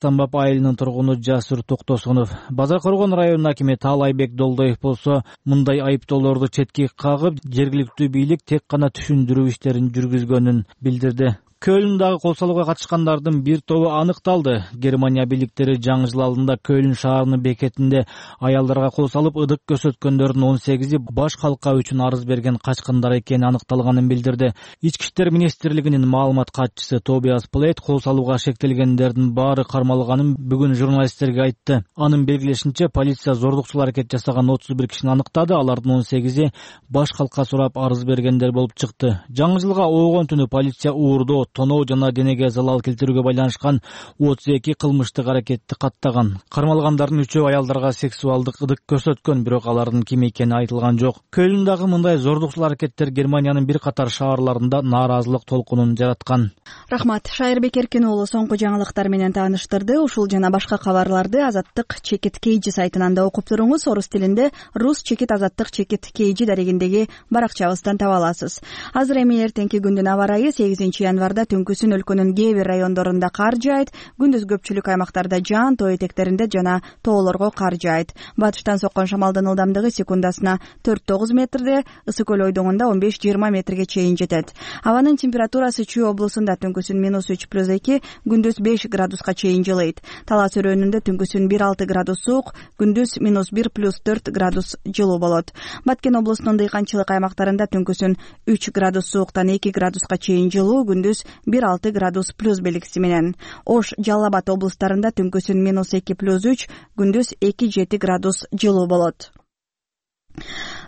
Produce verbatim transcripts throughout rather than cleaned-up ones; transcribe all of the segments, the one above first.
Стамбап айылынын тургуну Жасур Токтосунов. Базар Коргон районунун акими Таалайбек Долдоев болсо мындай айыптоолорду четке кагып, жергиликтүү бийлик тек гана түшүндүрүү иштерин жүргүзгөнүн билдирди. Көлүндагы кол салууга катышкандардын бир тобу аныкталды. Германия бийликтери жаңы жыл алдында Көлүн шаарынын бекетинде аялдарга кол салып, ыдык көрсөткөндөрдүн он сегизи баш калка үчүн арыз берген качкындар экени аныкталганын билдирди. Ички иштер министрлигинин маалымат катчысы Тобиас Плейт кол салууга шектелгендердин баары кармалганын бүгүн журналисттерге айтты. Анын белгилешинче, полиция зордукчул аракет жасаган отуз бир кишини аныктады. Алардын он сегизи баш калка сурап арыз бергендер болуп чыкты. Жаңы жылга оогон түнү полиция уурдоо, тоноо жана денеге залал келтирүүгө байланышкан отуз эки кылмыштык аракетти каттаган. Кармалгандардын үчөө аялдарга сексуалдык ыдык көрсөткөн, бирок алардын ким экени айтылган жок. Көлүндагы мындай зордукчул аракеттер Германиянын бир катар шаарларында нааразылык толкунун жараткан. Рахмат. Шайырбек Эркин уулу соңку жаңылыктар менен тааныштырды. Ушул жана башка кабарларды Азаттык чекит кейжи сайтынан да окуп туруңуз. Орус тилинде рус чекит азаттык чекит кейжи дарегиндеги баракчабыздан таба аласыз. Азыр эми эртеңки күндүн аба ырайы сегизинчи январда түнкүсүн өлкөнүн кээ бир райондорунда кар жаайт, күндүз көпчүлүк аймактарда жаан, тоо этектеринде жана тоолорго кар жаайт. Батыштан соккон шамалдын ылдамдыгы секундасына төрт тогуз метрде, ысык көл ойдоңунда он беш жыйырма метрге чейин жетет. Абанын температурасы Чүй облусунда түнкүсүн минус үч плюс эки, күндүз беш градуска чейин жылыйт. Талас өрөөнүндө түнкүсүн бир алты градус суук, күндүз минус бир плюс төрт градус жылуу болот. Баткен облусунун дыйканчылык аймактарында түнкүсүн үч градус сууктан эки градуска чейин жылуу, күндүз бир алты градус плюс белгиси менен. Ош, Жалал Абад облустарында түнкүсүн минус эки плюс үч, күндүз эки жети градус жылуу болот.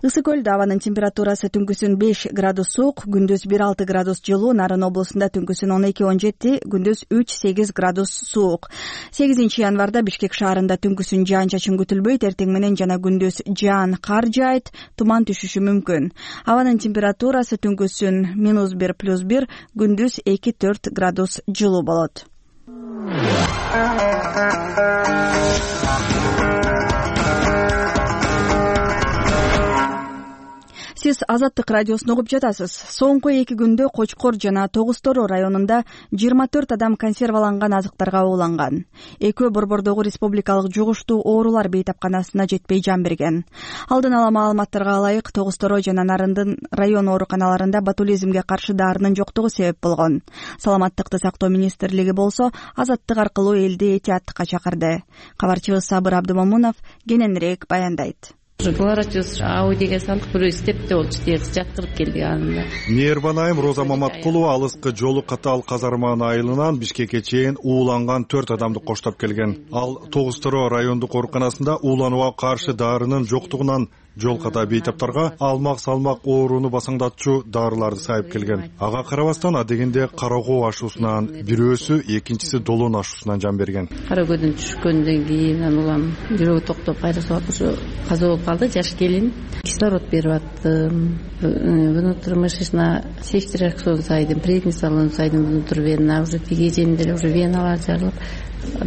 Ысык көлдө абанын температурасы түнкүсүн беш градус суук, күндүз бир алты градус жылуу, Нарын облусунда түнкүсүн он эки он жети, күндүз үч сегиз градус суук. сегизинчи январда Бишкек шаарында түнкүсүн жаан чачын күтүлбөйт, эртең менен жана күндүз жаан, кар жаайт, туман түшүшү мүмкүн. Абанын температурасы түнкүсүн минус бир плюс бир, күндүз эки төрт градус жылуу болот. Сиз Азаттык радиосун угуп жатасыз. Соңку эки күндө Кочкор жана Тогуз Тороо районунда жыйырма төрт адам консерваланган азыктарга ууланган. Экөө Борбордогу республикалык жугуштуу оорулар бейтапканасына жетпей жан берген. Алдын ала маалыматтарга ылайык, Тогуз Тороо жана Нарындын район ооруканаларында ботулизмге каршы дарынын жоктугу себеп болгон. Саламаттыкты сактоо министрлиги болсо Азаттык аркылуу элди этияттыкка чакырды. Кабарчыбыз Сабыр Абдымомунов кененирээк баяндайт. Кларатиус аудиге салдык, бирөө степте болчу, терс жаткырып келди анында. Мээрбан айым Роза Маматкулова алыскы жолу Катал Казарман айылынан Бишкекке чейин ууланган төрт адамды коштоп келген. Ал Тогуз Тороо райондук ооруканасында ууланууга каршы дарынын жоктугунан жол ката бейтаптарга алмак салмак ооруну басаңдатчу дарыларды сайып келген. Ага карабастан адегенде Карагоо ашуусунан бирөөсү, экинчиси Долон ашуусунан жан берген. Карагөдөн түшкөндөн кийин улам жүрөгү токтоп кайра соолуп каза болуп калды. Жаш келин, кислород берип аттым, внутримышечная сечтераксон сайдым, преднисолон сайдым, внутривенна, уже тиги жеринде уже веналар жарылып,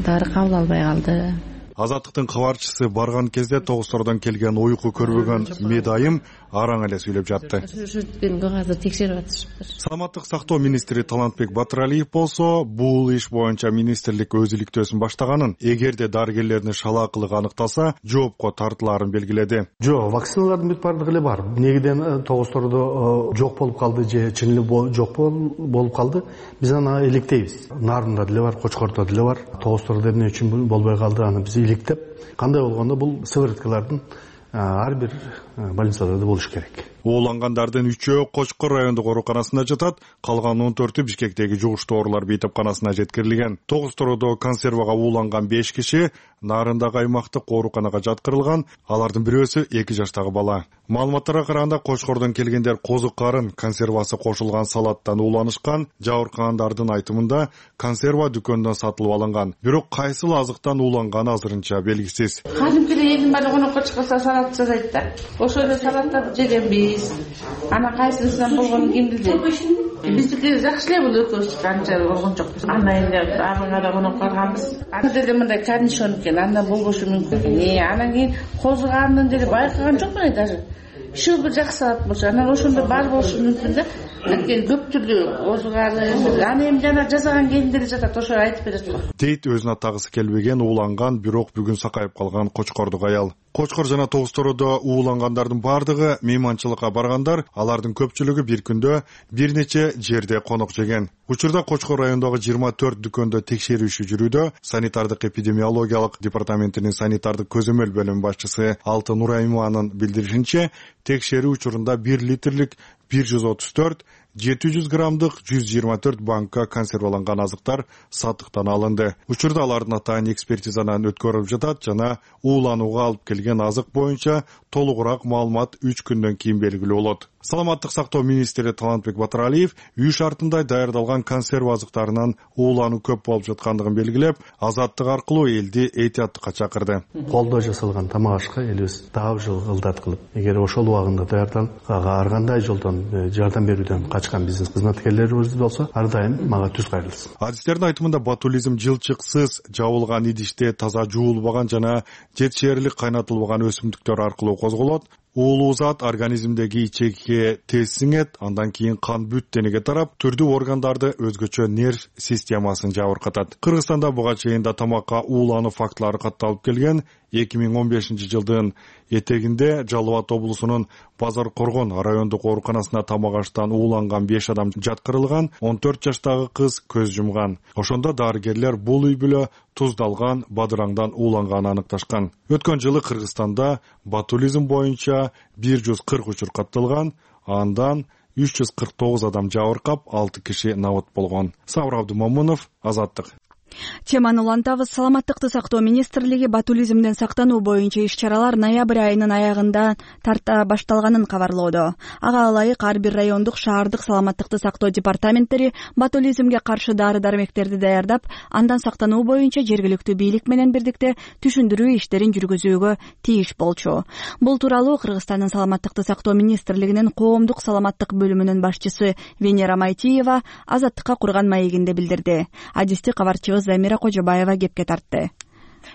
дары кабыл албай калды. Азаттыктын кабарчысы барган кезде Тогуз Тородон келген уйку көрбөгөн медайым араң эле сүйлөп жатты. Азыр текшерип атышыптыр. Саламаттык сактоо министри Талантбек Батыралиев болсо, бул иш боюнча министрлик өз иликтөөсүн баштаганын, эгерде дарыгерлердин шалаакылыгы аныкталса, жоопко тартылаарын белгиледи. Жок, вакциналардын бүт баардыгы эле бар. Негиден Тогуз Тородо жок болуп калды же чын эле жок болуп калды. Биз аны иликтейбиз. Нарында деле бар, Кочкордо деле бар. Тогуз Тородо эмне үчүн болбой калды, аны биз иликтеп, кандай болгондо бул сывырткалардын ар бир больницада болуш керек. Уулангандардын үчөө Кочкор райондук ооруканасында жатат, калган он төртү Бишкектеги жугуштуу оорулар бейтапканасына жеткирилген. Тогуз Тородо консервага ууланган беш киши Нарындагы аймактык ооруканага жаткырылган, алардын бирөөсү эки жаштагы бала. Маалыматтарга караганда Кочкордон келгендер козу карын консервасы кошулган салаттан ууланышкан. Жабыркагандардын айтымында консерва дүкөндөн сатылып алынган. Бирок кайсыл азыктан ууланганы азырынча белгисиз. Кадимкидей элдин баары конокко чыкса салат жасайт да. Ошол салаттарды жегенбиз. Ана кайсысынан болгонун ким билет. Биздики жакшы эле бул экөөбүз канча болгон жокпуз. Анда эле арыгара конок барганбыз. Анда деле мындай корнишон экен, андан болбошу мүмкүн. Э, анан кийин козу карынын деле байкаган жокмун даже. Шыл бир жакшы салат болчу, анан ошондо бар болушу мүмкүн да. анткени көпчүлүгү озганы аны эми жана жасаган келиндер жатат, ошо айтып берет го дейт өзүн атагысы келбеген, ууланган, бирок бүгүн сакайып калган Кочкордук аял. Кочкор жана Тогуз Тородо уулангандардын бардыгы мейманчылыкка баргандар, алардын көпчүлүгү бир күндө бир нече жерде конок жеген. Учурда Кочкор районундагы жыйырма төрт дүкөндө текшерүү иши жүрүүдө. Санитардык эпидемиологиялык департаментинин санитардык көзөмөл бөлүмү башчысы Алтын Нураймованын билдиришинче, текшерүү учурунда бир литрлик бир жүз отуз төрт, жети жүз граммдык жүз жыйырма төрт банка консерваланган азыктар сатыктан алынды. Учурда алардын атайын экспертизанан өткөрүлүп жатат жана ууланууга алып келген азык боюнча толугураак маалымат үч күндөн кийин белгилүү болот. Саламаттык сактоо министри Талантбек Батыралиев үй шартында даярдалган консерва азыктарынан уулануу көп болуп жаткандыгын белгилеп, азаттык аркылуу элди этияттыкка чакырды. Колдо жасалган тамак ашка элибиз дагы жыл ылдат кылып, эгер ошол убагында даярданып, ар кандай жолдон жардам берүүдөн качкан бизнес кызматкерлерибиз болсо, ар дайым мага түз кайрылсын. Адистердин айтымында ботулизм жылчыксыз жабылган идиште таза жуулбаган жана жетишээрлик кайнатылбаган өсүмдүктөр аркылуу козголот. Уулуу зат организмдеги ичекке тез сиңет, андан кийин кан бүт денеге тарап, түрдүү органдарды өзгөчө нерв системасын жабыркатат. Кыргызстанда буга чейин да тамакка уулануу фактылары катталып келген. эки миң он бешинчи жылдын этегинде Жалал Абад облусунун Базар Коргон райондук ооруканасына тамак аштан ууланган беш адам жаткырылган, он төрт жаштагы кыз көз жумган. Ошондо дарыгерлер бул үй бүлө туздалган бадыраңдан ууланганын аныкташкан. Өткөн жылы Кыргызстанда ботулизм боюнча бир жүз кырк учур катталган, андан үч жүз кырк тогуз адам жабыркап, алты киши набыт болгон. Сабыр Абдумомунов, Азаттык. Теманы улантабыз. Саламаттыкты сактоо министрлиги ботулизмден сактануу боюнча иш-чаралар ноябрь айынын аягында тарта башталганын кабарлоодо. Ага ылайык ар бир райондук, шаардык саламаттыкты сактоо департаменттери ботулизмге каршы дары-дармектерди даярдап, андан сактануу боюнча жергиликтүү бийлик менен бирдикте түшүндүрүү иштерин жүргүзүүгө тийиш болчу. Бул тууралуу Кыргызстандын саламаттыкты сактоо министрлигинин коомдук саламаттык бөлүмүнүн башчысы Венера Майтиева Азаттыкка курган маегинде билдирди. Адисти кабарчыбыз Замира Кожобаева кепке тартты.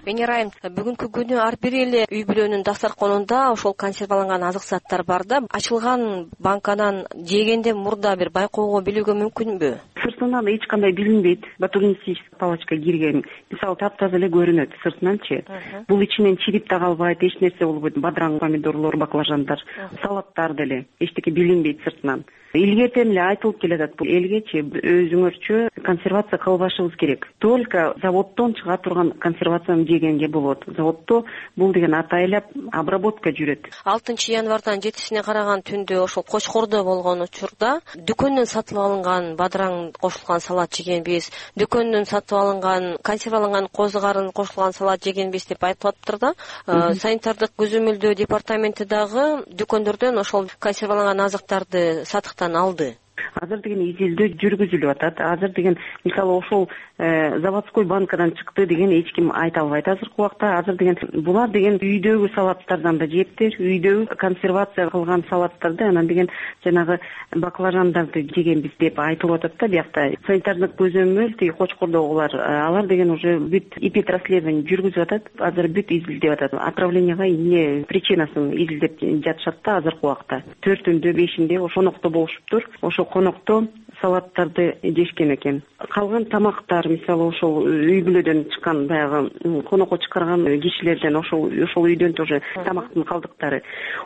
Венера айым, бүгүнкү күнү ар бир эле үй бүлөнүн дастарконунда ошол консерваланган азык заттар бар да, ачылган банканан жегенде мурда бир байкоого билүүгө мүмкүнбү? Сыртынан эч кандай билинбейт. Ботулинистическая палочка кирген. Мисалы, таптаза эле көрүнөт сыртынанчы. Бул ичинен чирип да калбайт, эч нерсе болбойт. Бадыраң, помидорлор, баклажандар, салаттар деле эчтеке билинбейт сыртынан. Илгертен эле айтылып келатат, бул элгечи өзүңөрчө консервация кылбашыбыз керек. Только заводдон чыга турган консервацияны жегенге болот. Заводдо бул деген атайлап обработка жүрөт. алтынчы январдан жетисине караган түндө ошол Кочкордо болгон учурда дүкөндөн сатып алынган бадыраң кошулган салат жегенбиз, дүкөндөн сатып алынган консерваланган козу карын кошулган салат жегенбиз деп айтылаптыр да. Санитардык көзөмөлдөө департаменти дагы дүкөндөрдөн ошол консерваланган азыктарды сатып алды. Азыр деген изилдөө жүргүзүлүп атат. Азыр деген мисалы ошол заводской банкадан чыкты деген эч ким айта албайт азыркы убакта. Азыр деген булар деген үйдөгү салаттардан да жептир, үйдөгү консервация кылган салаттарды, анан деген жанагы баклажандарды жегенбиз деп айтылып атат да биякта. Санитардык көзөмөл тиги Кочкордогулар, алар деген уже бүт эпидрасследование жүргүзүп атат. Азыр бүт изилдеп атат. Отравленияга эмне причинасын изилдеп жатышат да азыркы убакта. төртүндө, бешинде ошо конокто болушуптур. Ошо конокто салаттарды жешкен экен. Калган тамактар, мисалы ошол үй бүлөдөн чыккан баягы конокко чыгарган кишилерден ошол ошол үйдөн тоже тамактын калдыктары.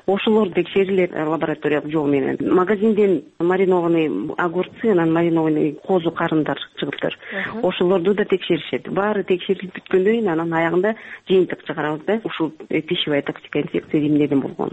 Ошолор текшерилет лабораториялык жол менен. Магазинден маринованный огурцы, анан маринованный козу карындар чыгыптыр. Ошолорду да текшеришет. Баары текшерилип бүткөндөн кийин анан аягында жыйынтык чыгарабыз да. Ушул пищевая токсика инфекция эмнеден болгон.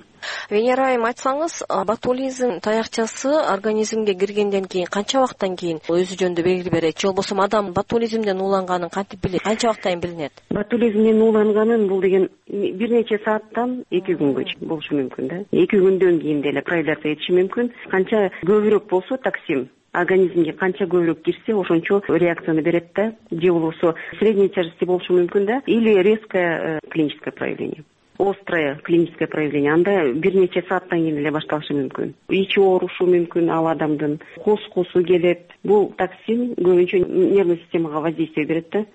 Венера айым, айтсаңыз, ботулизм таякчасы организмге киргенден кийин канча убакыттан кийин өзү жөнүндө белги берет? Же болбосо адам ботулизмден ууланганын кантип билет? Канча убакыттан билинет? Ботулизмден ууланганын бул деген бир нече сааттан эки күнгө болушу мүмкүн да. эки күндөн кийин деле проявляться этиши мүмкүн. Канча көбүрөөк болсо токсин организмге канча көбүрөөк кирсе, ошончо реакцияны берет да. Же болбосо средней тяжести болушу мүмкүн да, или резкое клиническое проявление. острое клиническое проявление, анда бир нече сааттан кийин эле башталышы мүмкүн. Ичи оорушу мүмкүн ал адамдын, кускусу келет. Бул токсин көбүнчө нервный системага воздействие берет да,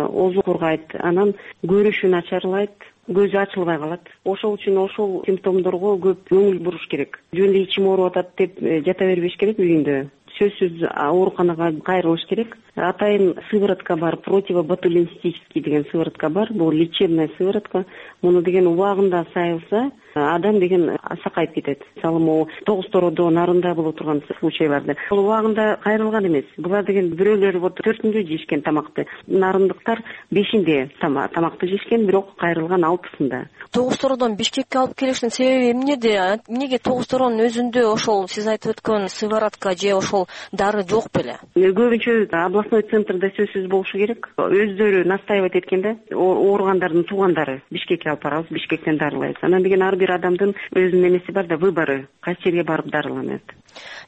озу кургайт, анан көрүшү начарлайт, көзү ачылбай калат. Ошол үчүн ошол симптомдорго көп көңүл буруш керек. Жөн эле ичим ооруп атат деп жата бербеш керек үйүндө. Сөзсүз ооруканага кайрылыш керек. Атайын сыворотка бар, противоботулинстический деген сыворотка бар. Бул лечебная сыворотка. Муну деген убагында сайылса, адам деген сакайып кетет. Мисалы, могу тогуз тородо нарында боло турган случайларда. Бул убагында кайрылган эмес. Булар деген бирөөлөр вот төртүндө жешкен тамакты, нарындыктар бешинде тамакты жешкен, бирок кайрылган алтысында. Тогуз тородон Бишкекке алып келиштин себеби эмнеде? Эмнеге тогуз торонун өзүндө ошол сиз айтып өткөн сыворотка же ошол дары жок беле? Көбүнчө областной центрда сөзсүз болушу керек. Өздөрү настаивать эткенде ооругандардын туугандары Бишкекке алып барабыз, Бишкектен дарылайбыз. Анан деген ар бир адамдын өзүнүн эмеси бар да, выборы, кайсы жерге барып дарыланат.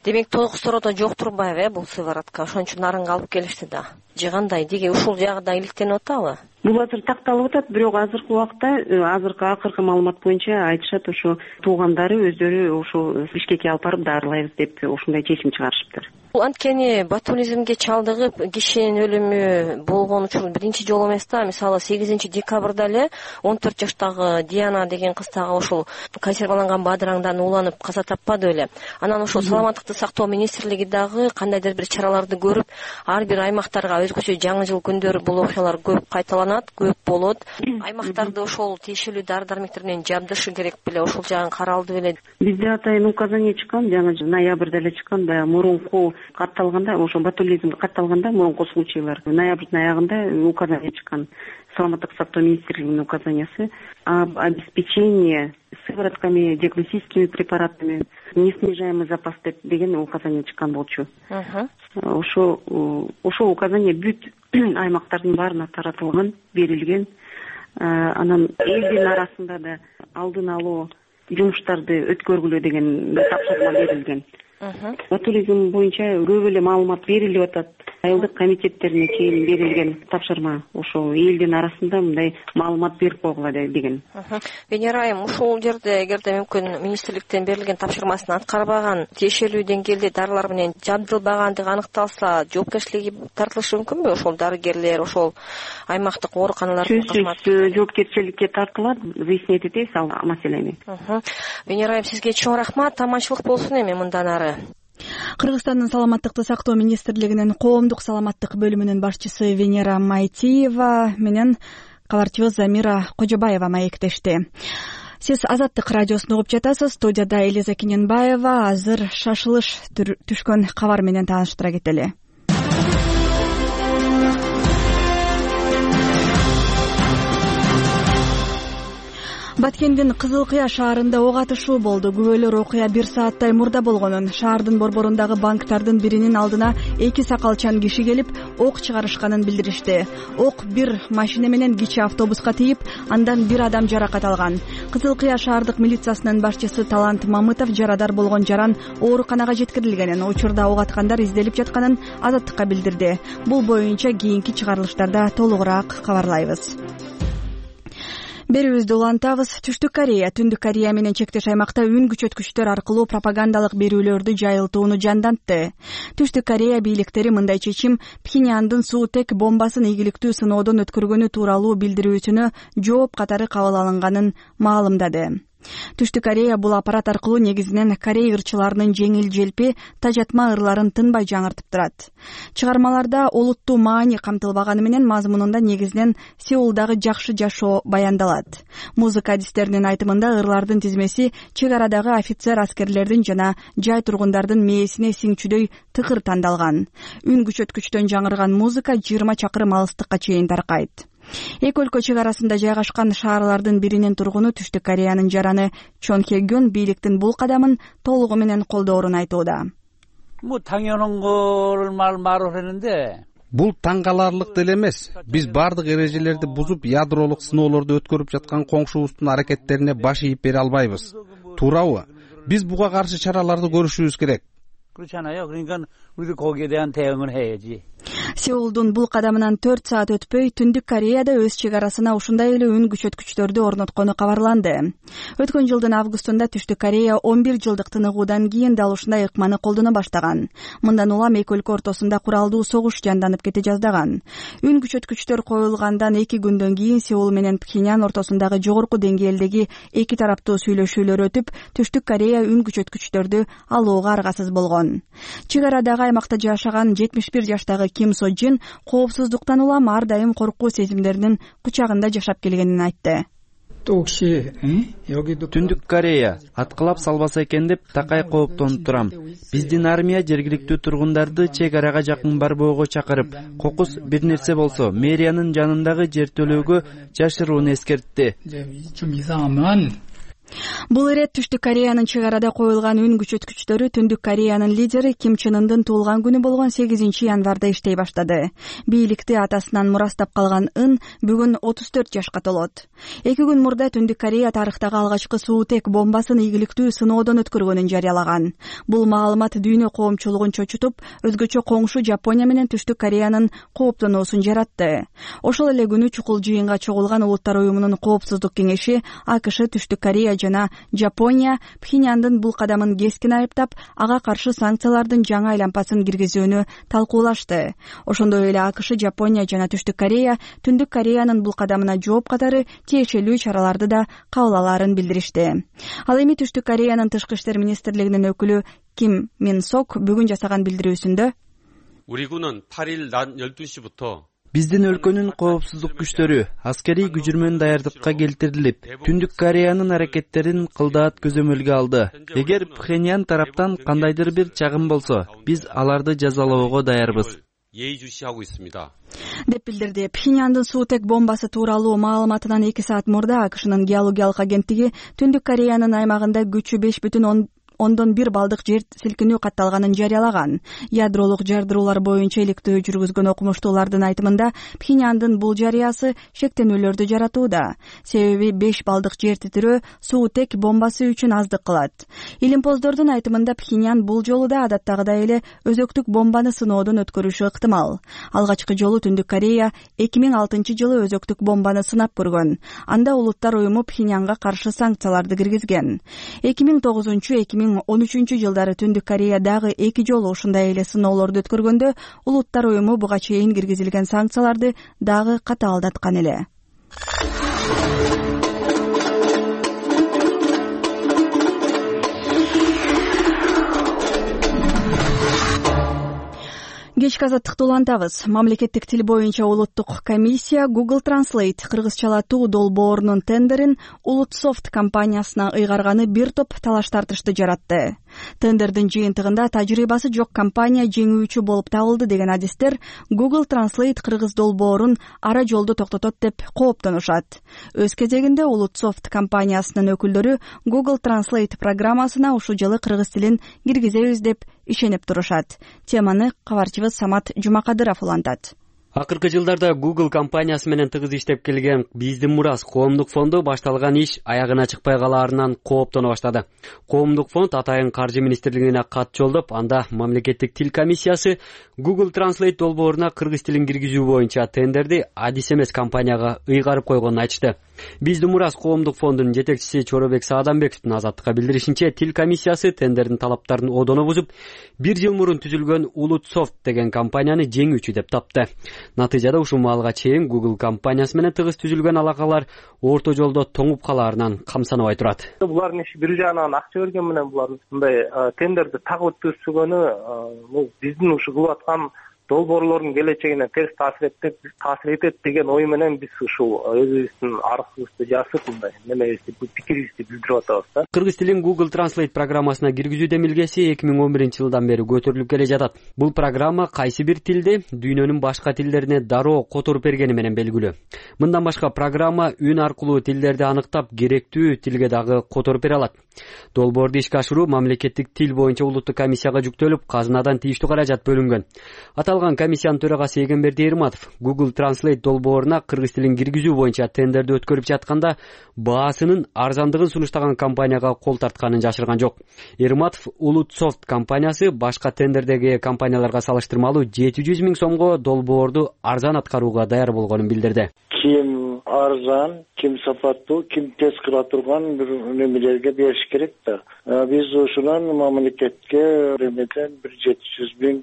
Демек тогуз тородо жок турбайбы бул сыворотка? Ошон үчүн нарынга алып келишти да. Же кандай? Деге ушул жагында иликтенип атабы? Бул азыр такталып атат, бирок азыркы убакта, азыркы акыркы маалымат боюнча айтышат, ошо туугандары өздөрү ошо Бишкекке алып барып дарылайбыз деп ушундай чечим чыгарышыптыр. Бул анткени ботулизмге чалдыгып кишинин өлүмү болгон учуру биринчи жолу эмес да. Мисалы сегизинчи декабрда эле он төрт жаштагы Диана деген кыз дагы ошол консерваланган бадыраңдан ууланып каза таппады беле. Анан ошол саламаттыкты сактоо министрлиги дагы кандайдыр бир чараларды көрүп, ар бир аймактарга өзгөчө жаңы жыл күндөрү бул окуялар көп кайталанат, көп болот. Аймактарды ошол тиешелүү дары дармектер менен жабдышы керек беле, ошол жагын каралды беле? Бизде атайын указание чыккан, жаңы ноябрда эле чыккан, баягы мурунку катталганда, ошо ботулизмге катталганда мурунку случайлар ноябрдын аягында указание чыккан. Саламаттык сактоо министрлигинин указаниясы об обеспечении сыворотками, диагностическими препаратами, неснижаемый запас деген указание чыккан болчу. Ошо ошол указание бүт аймактардын баарына таратылган, берилген. Анан элдин арасында да алдын алуу жумуштарды өткөргүлө деген тапшырма берилген. Ботулизм боюнча көп эле маалымат берилип атат. Айылдык комитеттерине чейин берилген тапшырма ошо элдин арасында мындай маалымат берип койгула деген. Венера айым, ушул жерде эгерде мүмкүн министрликтен берилген тапшырмасын аткарбаган, тиешелүү деңгээлде дарылар менен жабдылбагандыгы аныкталса, жоопкерчиликке тартылышы мүмкүнбү ошол дарыгерлер, ошол аймактык ооруканалардын кызматкерлери? Жоопкерчиликке тартылат, выяснять этебиз ал маселени. Венера айым, сизге чоң рахмат, аманчылык болсун эми мындан ары. Кыргызстандын саламаттыкты сактоо министрлигинин коомдук саламаттык бөлүмүнүн башчысы Венера Майтиева менен кабарчыбыз Замира Кожобаева маектешти. Сиз Азаттык радиосун угуп жатасыз. Студияда Элиза Кененбаева. Азыр шашылыш түшкөн кабар менен тааныштыра кетели. Баткендин Кызыл Кыя шаарында ок атышуу болду. Күбөлөр окуя бир сааттай мурда болгонун, шаардын борборундагы банктардын биринин алдына эки сакалчан киши келип, ок чыгарышканын билдиришти. Ок бир машина менен кичи автобуска тийип, андан бир адам жаракат алган. Кызыл Кыя шаардык милициясынын башчысы Талант Мамытов жарадар болгон жаран ооруканага жеткирилгенин, учурда ок аткандар изделип жатканын Азаттыкка билдирди. Бул боюнча кийинки чыгарылыштарда толугураак кабарлайбыз. Берүүбүздү улантабыз. Түштүк Корея, Түндүк Корея менен чектеш аймакта үн күчөткүчтөр аркылуу пропагандалык берүүлөрдү жайылтууну жандантты. Түштүк Корея бийликтери мындай чечим Пхеньяндын суутек бомбасын ийгиликтүү сыноодон өткөргөнү тууралуу билдирүүсүнө жооп катары кабыл алынганын маалымдады. Түштүк Корея бул аппарат аркылуу негизинен Корей ырчыларынын жеңил желпи тажатма ырларын тынбай жаңыртып турат. Чыгармаларда олуттуу маани камтылбаганы менен мазмунунда негизинен Сеулдагы жакшы жашоо баяндалат. Музыка адистеринин айтымында ырлардын тизмеси чек арадагы офицер аскерлердин жана жай тургундардын мээсине сиңчүдөй тыкыр тандалган. Үн күчөткүчтөн жаңырган музыка жыйырма чакырым алыстыкка чейин таркайт. Эки өлкө чек арасында жайгашкан шаарлардын биринин тургуну Түштүк Кореянын жараны Чон Хе-гён бийликтин бул кадамын толугу менен колдоорун айтууда. Бул 당연한 거를 말하는데 Бул таң каларлык деле эмес. Биз бардык эрежелерди бузуп, ядролук сыноолорду өткөрүп жаткан коңшубуздун аракеттерине баш ийип бере албайбыз. Туурабы? Биз буга каршы чараларды көрүшүбүз керек. 그렇잖아요. 그러니까 거기에 대한 대응을 해야지. Сеулдун бул кадамынан төрт саат өтпөй Түндүк Кореяда өз чек арасына ушундай эле үн күчөткүчтөрдү орноткону кабарланды. Өткөн жылдын августунда Түштүк Корея он бир жылдык тыныгуудан кийин дал ушундай ыкманы колдоно баштаган. Мындан улам эки өлкө ортосунда куралдуу согуш жанданып кете жаздаган. Үн күчөткүчтөр коюлгандан эки күндөн кийин Сеул менен Пхеньян ортосундагы жогорку деңгээлдеги эки тараптуу сүйлөшүүлөр өтүп, Түштүк Корея үн күчөткүчтөрдү алууга аргасыз болгон. Чек арадагы аймакта жашаган жетимиш бир жаштагы Ким Со Джин коопсуздуктан улам ар дайым коркуу сезимдеринин кучагында жашап келгенин айтты. Түндүк Корея аткылап салбаса экен деп такай кооптонуп турам. Биздин армия жергиликтүү тургундарды чек арага жакын барбоого чакырып, кокус бир нерсе болсо мэриянын жанындагы жер төлөөгө жашырууну эскертти. Бул ирет Түштүк Кореянын чек арада коюлган үн күчөткүчтөрү Түндүк Кореянын лидери Ким Чен Ындын туулган күнү болгон сегизинчи январда иштей баштады. Бийликти атасынан мурастап калган Ын бүгүн отуз төрт жашка толот. Эки күн мурда Түндүк Корея тарыхтагы алгачкы суутек бомбасын ийгиликтүү сыноодон өткөргөнүн жарыялаган. Бул маалымат дүйнө коомчулугун чочутуп, өзгөчө коңшу Жапония менен Түштүк Кореянын кооптонуусун жаратты. Ошол эле күнү чукул жыйынга чогулган Улуттар уюмунун коопсуздук кеңеши АКШ, Түштүк Корея жана Жапония Пхеньяндын бул кадамын кескин айыптап, ага каршы санкциялардын жаңы айлампасын киргизүүнү талкуулашты. Ошондой эле АКШ, Жапония жана Түштүк Корея Түндүк Кореянын бул кадамына жооп катары тиешелүү чараларды да кабыл алаарын билдиришти. Ал эми Түштүк Кореянын тышкы иштер министрлигинин өкүлү Ким Мин Сок бүгүн жасаган билдирүүсүндө 우리 군은 팔 일 낮 열두 시부터 Биздин өлкөнүн коопсуздук күчтөрү аскерий күчүрмөн даярдыкка келтирилип, Түндүк Кореянын аракеттерин кылдаат көзөмөлгө алды. Эгер Пхеньян тараптан кандайдыр бир чагым болсо, биз аларды жазалоого даярбыз. деп билдирди. Пхеньяндын суутек бомбасы тууралуу маалыматынан эки саат мурда АКШнын геологиялык агенттиги Түндүк Кореянын аймагында күчү беш бүтүн ондон бир балдык жер силкинүү катталганын жарыялаган. Ядролук жардыруулар боюнча иликтөө жүргүзгөн окумуштуулардын айтымында Пхеньяндын бул жарыясы шектенүүлөрдү жаратууда. Себеби беш балдык жер титирөө суутек бомбасы үчүн аздык кылат. Илимпоздордун айтымында Пхеньян бул жолу да адаттагыдай эле өзөктүк бомбаны сыноодон өткөрүшү ыктымал. Алгачкы жолу Түндүк Корея эки миң алтынчы жылы өзөктүк бомбаны сынап көргөн. Анда Улуттар уюму Пхеньянга каршы санкцияларды киргизген. эки миң тогузунчу эки миң он үчүнчү жылдары Түндүк Корея дагы эки жолу ушундай эле сыноолорду өткөргөндө Улуттар уюму буга чейин киргизилген санкцияларды дагы катаалдаткан эле. Кечки азаттыкты улантабыз. Мамлекеттик тил боюнча улуттук комиссия Google Translate кыргызчалатуу долбоорунун тендерин Улутсофт компаниясына ыйгарганы бир топ талаш тартышты жаратты. Тендердин жыйынтыгында тажрыйбасы жок компания жеңүүчү болуп табылды деген адистер Google Translate кыргыз долбоорун ара жолдо токтотот деп кооптонушат. Өз кезегинде Улутсофт компаниясынын өкүлдөрү Google Translate программасына ушул жылы кыргыз тилин киргизебиз деп ишенип турушат. Теманы кабарчыбыз Самат Жумакадыров улантат. Акыркы жылдарда Google компаниясы менен тыгыз иштеп келген Биздин Мурас коомдук фонду башталган иш аягына чыкпай калаарынан кооптоно баштады. Коомдук фонд атайын каржы министрлигине кат жолдоп, анда мамлекеттик тил комиссиясы Google Translate долбооруна кыргыз тилин киргизүү боюнча тендерди адис эмес компанияга ыйгарып койгонун айтышты. Биздин Мурас коомдук фондунун жетекчиси Чоробек Саадамбековдун азаттыкка билдиришинче, тил комиссиясы тендердин талаптарын одоно бузуп, бир жыл мурун түзүлгөн Улутсофт деген компанияны жеңүүчү деп тапты. Натыйжада ушул маалга чейин Google компаниясы менен тыгыз түзүлгөн алакалар орто жолдо тоңуп калаарынан камсанабай турат. Булардын иши бир жагынан акча берген менен булар мындай тендерди тагып өткөрүшүгөнү бул биздин ушул кылып аткан долбоорлордун келечегине терс таасир этет таасир этет деген ой менен биз ушул өзүбүздүн арызыбызды жазып мындай немебизди пикирибизди билдирип атабыз да. Кыргыз тилин Google Translate программасына киргизүү демилгеси эки миң он биринчи жылдан бери көтөрүлүп келе жатат. Бул программа кайсы бир тилди дүйнөнүн башка тилдерине дароо которуп бергени менен белгилүү. Мындан башка программа үн аркылуу тилдерди аныктап, керектүү тилге дагы которуп бере алат. Долбоорду ишке ашыруу мамлекеттик тил боюнча улуттук комиссияга жүктөлүп, казынадан тийиштүү каражат бөлүнгөн. Аталган комиссиянын төрагасы Эгемберди Эрматов Google Translate долбооруна кыргыз тилин киргизүү боюнча тендерди өткөрүп жатканда баасынын арзандыгын сунуштаган компанияга кол тартканын жашырган жок. Эрматов Улутсофт компаниясы башка тендердеги компанияларга салыштырмалуу жети жүз миң сомго долбоорду арзан аткарууга даяр болгонун билдирди. Ким арзан, ким сапаттуу, ким тез кыла турган бир немелерге бериш керек да. Биз ушунан мамлекетке ремеден бир жети жүз миң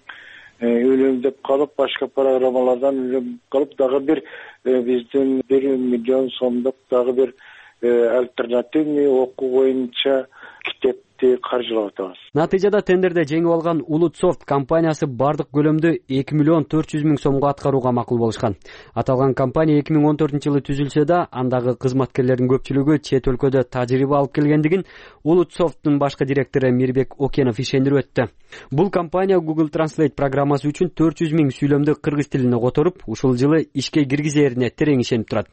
үнөмдөп калып, башка программалардан үнөмдөп калып, дагы бир биздин бир миллион сомдук дагы бир альтернативный окуу боюнча китепти каржылап атабыз. Натыйжада тендерде жеңип алган Улутсофт компаниясы бардык көлөмдү эки миллион төрт жүз миң сомго аткарууга макул болушкан. Аталган компания эки миң он төртүнчү жылы түзүлсө да, андагы кызматкерлердин көпчүлүгү чет өлкөдө тажрыйба алып келгендигин Улутсофттун башкы директору Мирбек Окенов ишендирип өттү. Бул компания Google Translate программасы үчүн төрт жүз миң сүйлөмдү кыргыз тилине которуп, ушул жылы ишке киргизерине терең ишенип турат.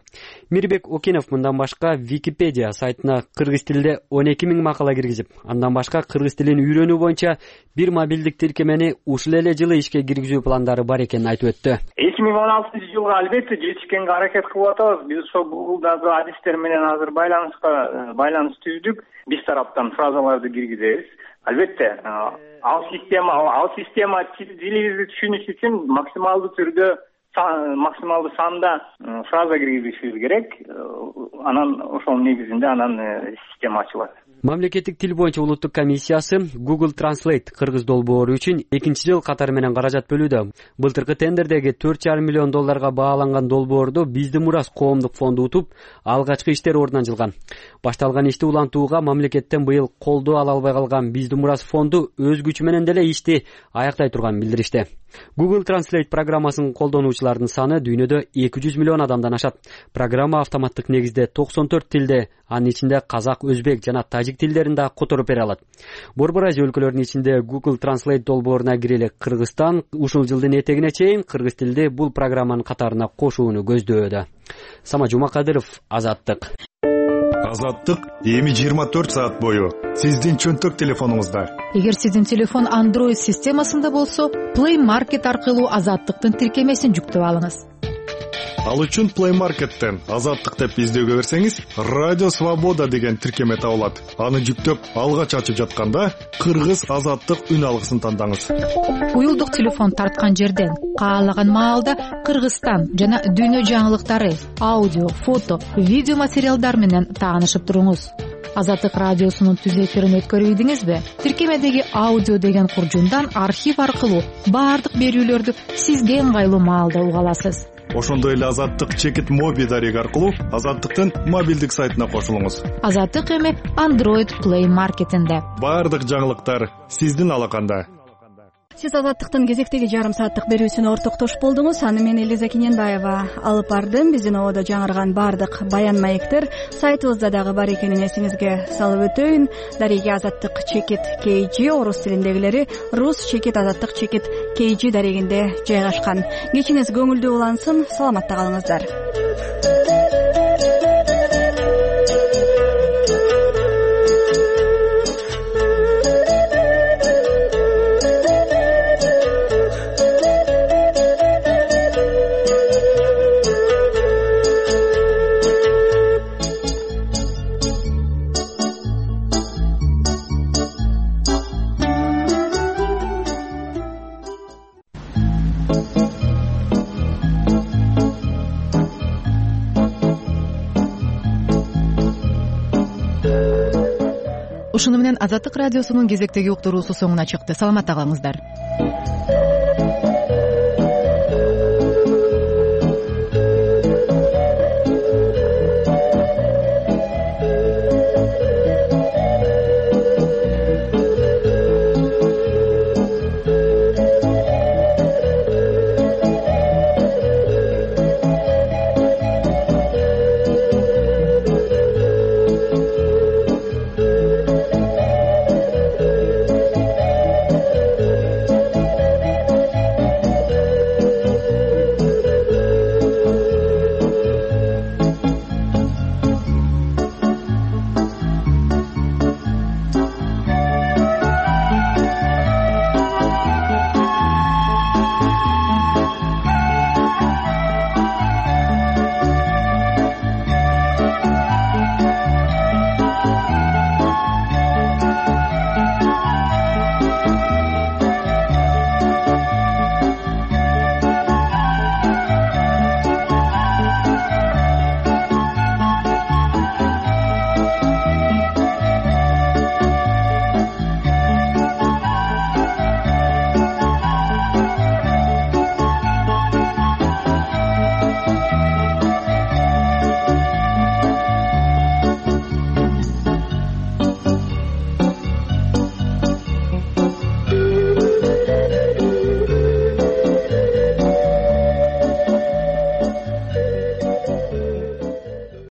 Мирбек Окенов мындан башка Википедия сайтына кыргыз тилде он эки миң макала киргизип, андан башка кыргыз тилин үйрөнүү боюнча бир мобилдик тиркемени ушул эле жылы ишке киргизүү пландары бар экенин айтып өттү. эки миң он алтынчы жылга албетте жетишкенге аракет кылып атабыз. Биз ошол Google'дагы адистер менен азыр байланыска байланыш түздүк. Биз тараптан фразаларды киргизебиз. Албетте, ал система, ал система тилибизди түшүнүш үчүн максималдуу түрдө максималдуу санда фраза киргизишибиз керек. Анан ошонун негизинде анан система ачылат. Мамлекеттик тил боюнча улуттук комиссиясы Google Translate кыргыз долбоору үчүн экинчи жыл катары менен каражат бөлүүдө. Былтыркы тендердеги төрт жарым миллион долларга бааланган долбоорду Биздин мурас коомдук фонду утуп, алгачкы иштер ордуна жылган. Башталган ишти улантууга мамлекеттен быйыл колдоо ала албай калган Биздин мурас фонду өз күчү менен деле ишти аяктай турганын билдиришти. Google Translate программасынын колдонуучуларынын саны дүйнөдө эки жүз миллион адамдан ашат. Программа автоматтык негизде токсон төрт тилде, анын ичинде казак, өзбек жана тажик тилдерин да которуп бере алат. Борбор Азия өлкөлөрүнүн ичинде Google Translate долбооруна кирели Кыргызстан ушул жылдын этегине чейин кыргыз тилди бул программанын катарына кошууну көздөөдө. Сама Жумакадыров, Азаттык. Азаттык эми жыйырма төрт саат бою сиздин чөнтөк телефонуңузда. Эгер сиздин телефон Android системасында болсо, Play Market аркылуу Азаттыктын тиркемесин жүктөп алыңыз. Ал үчүн Play Market'тен Азаттык деп издөөгө берсеңиз, Радио Свобода деген тиркеме табылат. Аны жүктөп, алгач ачып жатканда Кыргыз Азаттык үн алгысын тандаңыз. Уюлдук телефон тарткан жерден каалаган маалда Кыргызстан жана дүйнө жаңылыктары, аудио, фото, видео материалдар менен таанышып туруңуз. Азаттык радиосунун түз эфирин өткөрүбүдүңүзбү? Тиркемедеги аудио деген куржундан архив аркылуу баардык берүүлөрдү сизге ыңгайлуу маалда уга аласыз. Ошондой эле Азаттык чекит моби дареги аркылуу Азаттыктын мобилдик сайтына кошулуңуз. Азаттык эми Android Play Market'инде. Баардык жаңылыктар сиздин алаканда. Сиз Азаттыктын кезектеги жарым сааттык берүүсүнө ортоктош болдуңуз. Аны мен Элиза Кененбаева алып бардым. Биздин ободо жаңырган баардык баян маектер сайтыбызда дагы бар экенин эсиңизге салып өтөйүн. Дареги Азаттык чекит кей джи, орус тилиндегилери Рус чекит Азаттык чекит кей джи дарегинде жайгашкан. Кечиңиз көңүлдүү улансын. Саламатта калыңыздар. Ушуну менен Азаттык радиосунун кезектеги уктуруусу соңуна чыкты. Саламатта калыңыздар.